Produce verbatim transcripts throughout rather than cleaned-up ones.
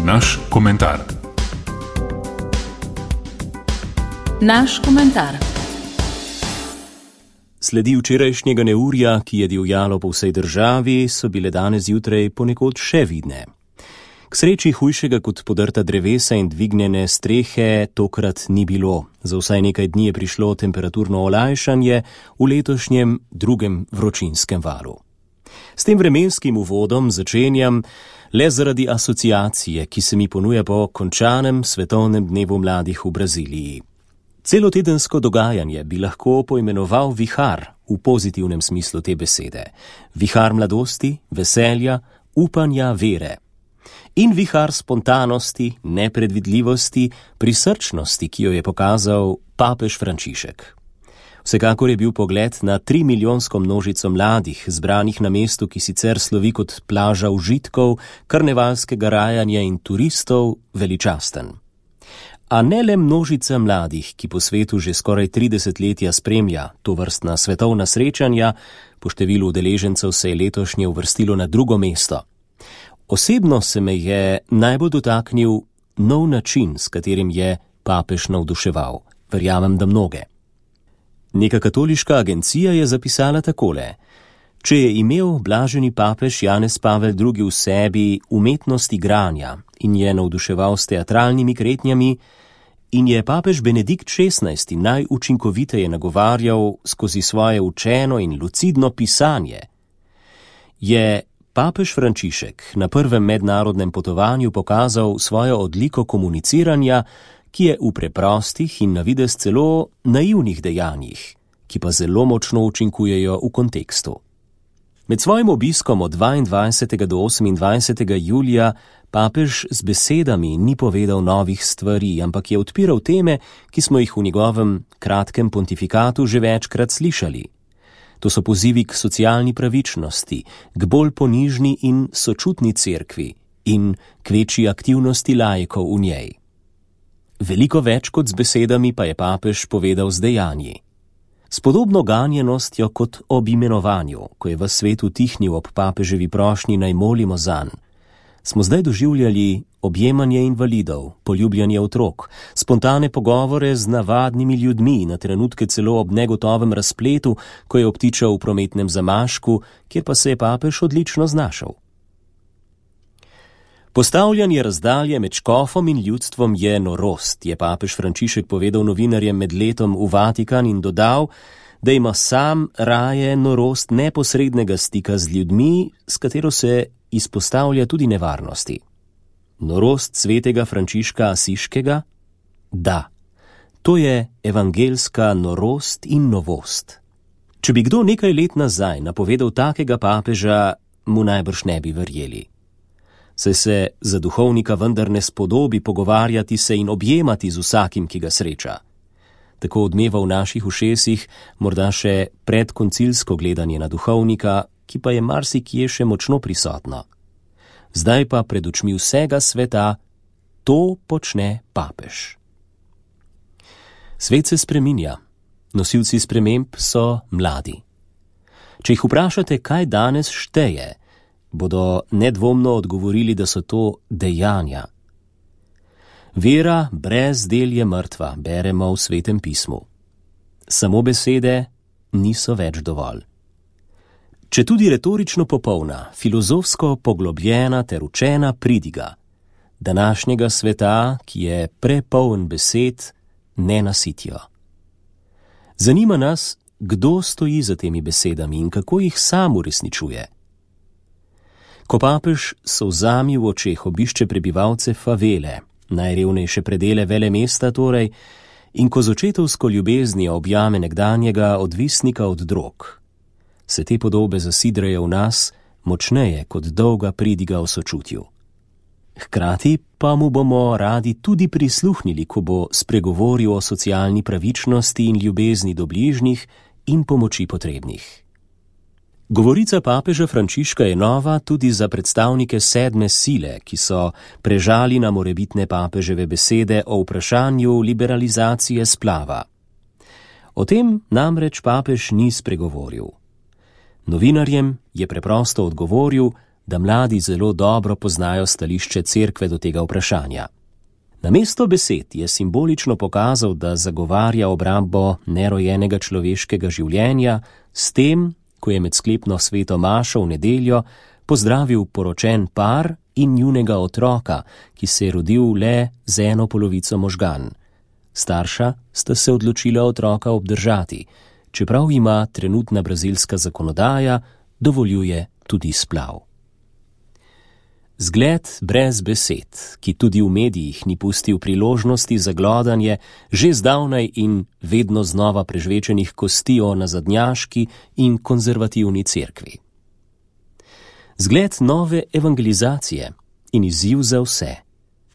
Naš komentar. Naš komentar. Sledi včerajšnjega neurja, ki je divjalo po vsej državi, so bile danes zjutraj ponekod še vidne. K sreči hujšega kot podrta drevesa in dvignjene strehe tokrat ni bilo. Za vsaj nekaj dni je prišlo temperaturno olajšanje v letošnjem drugem vročinskem valu. S tem vremenskim uvodom začenjam le zaradi asociacije, ki se mi ponuja po končanem svetovnem dnevu mladih v Braziliji. Celotedensko dogajanje bi lahko poimenoval vihar v pozitivnem smislu te besede. Vihar mladosti, veselja, upanja, vere. In vihar spontanosti, nepredvidljivosti, prisrčnosti, ki jo je pokazal papež Frančišek. Vsekakor je bil pogled na trimilijonsko množico mladih, zbranih na mestu, ki sicer slovi kot plaža užitkov, karnevalskega rajanja in turistov, veličasten. A ne le množica mladih, ki po svetu že skoraj tri desetletja spremlja tovrstna svetovna srečanja, po številu udeležencev se je letošnje uvrstilo na drugo mesto. Osebno se me je najbolj dotaknil nov način, s katerim je papež navduševal. Verjamem, da mnoge. Neka katoliška agencija je zapisala takole: če je imel blaženi papež Janez Pavel drugi v sebi umetnost igranja in je navduševal s teatralnimi kretnjami, in je papež Benedikt šestnajsti najučinkoviteje nagovarjal skozi svoje učeno in lucidno pisanje, je papež Frančišek na prvem mednarodnem potovanju pokazal svojo odliko komuniciranja, ki je v preprostih in na videz celo naivnih dejanjih, ki pa zelo močno učinkujejo v kontekstu. Med svojim obiskom od dvaindvajsetega do osemindvajsetega julija papež z besedami ni povedal novih stvari, ampak je odpiral teme, ki smo jih v njegovem kratkem pontifikatu že večkrat slišali. To so pozivi k socialni pravičnosti, k bolj ponižni in sočutni cerkvi in k večji aktivnosti laikov v njej. Veliko več kot z besedami pa je papež povedal z dejanji. S podobno ganjenostjo kot ob imenovanju, ko je v svetu tihnil ob papeževi prošnji naj molimo zanj, smo zdaj doživljali objemanje invalidov, poljubljanje otrok, spontane pogovore z navadnimi ljudmi, na trenutke celo ob negotovem razpletu, ko je obtičal v prometnem zamašku, kjer pa se je papež odlično znašel. Postavljanje razdalje med škofom in ljudstvom je norost, je papež Frančišek povedal novinarjem med letom v Vatikan in dodal, da ima sam raje norost neposrednega stika z ljudmi, s katero se izpostavlja tudi nevarnosti. Norost svetega Frančiška Asiškega? Da, to je evangelska norost in novost. Če bi kdo nekaj let nazaj napovedal takega papeža, mu najbrž ne bi verjeli. Saj se za duhovnika vendar ne spodobi pogovarjati se in objemati z vsakim, ki ga sreča. Tako odmeva v naših ušesih morda še predkoncilsko gledanje na duhovnika, ki pa je marsikje še močno prisotno. Zdaj pa pred očmi vsega sveta to počne papež. Svet se spreminja. Nosilci sprememb so mladi. Če jih vprašate, kaj danes šteje, bodo nedvomno odgovorili, da so to dejanja. Vera brez del je mrtva, beremo v Svetem pismu. Samo besede niso več dovolj. Če tudi retorično popolna, filozofsko poglobljena ter učena pridiga, današnjega sveta, ki je prepoln besed, ne nasitijo. Zanima nas, kdo stoji za temi besedami in kako jih sam uresničuje. Ko papež s solzami v očeh obišče prebivalce favele, najrevnejše predele velemesta torej, in ko z očetovsko ljubeznijo objame nekdanjega odvisnika od drog, se te podobe zasidrajo v nas močneje kot dolga pridiga o sočutju. Hkrati pa mu bomo radi tudi prisluhnili, ko bo spregovoril o socialni pravičnosti in ljubezni do bližnjih in pomoči potrebnih. Govorica papeža Frančiška je nova tudi za predstavnike sedme sile, ki so prežali na morebitne papeževe besede o vprašanju liberalizacije splava. O tem namreč papež ni spregovoril. Novinarjem je preprosto odgovoril, da mladi zelo dobro poznajo stališče cerkve do tega vprašanja. Namesto besed je simbolično pokazal, da zagovarja obrambo nerojenega človeškega življenja s tem, ko je med sklepno sveto mašo v nedeljo pozdravil poročen par in njunega otroka, ki se je rodil le z eno polovico možgan. Starša sta se odločila otroka obdržati, čeprav ima trenutna brazilska zakonodaja dovoljuje tudi splav. Zgled brez besed, ki tudi v medijih ni pustil priložnosti za glodanje že zdavnaj in vedno znova prežvečenih kosti o nazadnjaški in konzervativni cerkvi. Zgled nove evangelizacije in izziv za vse,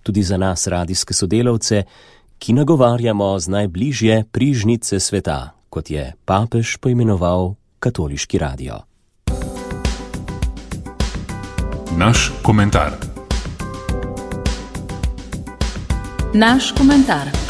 tudi za nas radijske sodelavce, ki nagovarjamo z najbližje prižnice sveta, kot je papež poimenoval katoliški radio. Naš komentar. Naš komentar.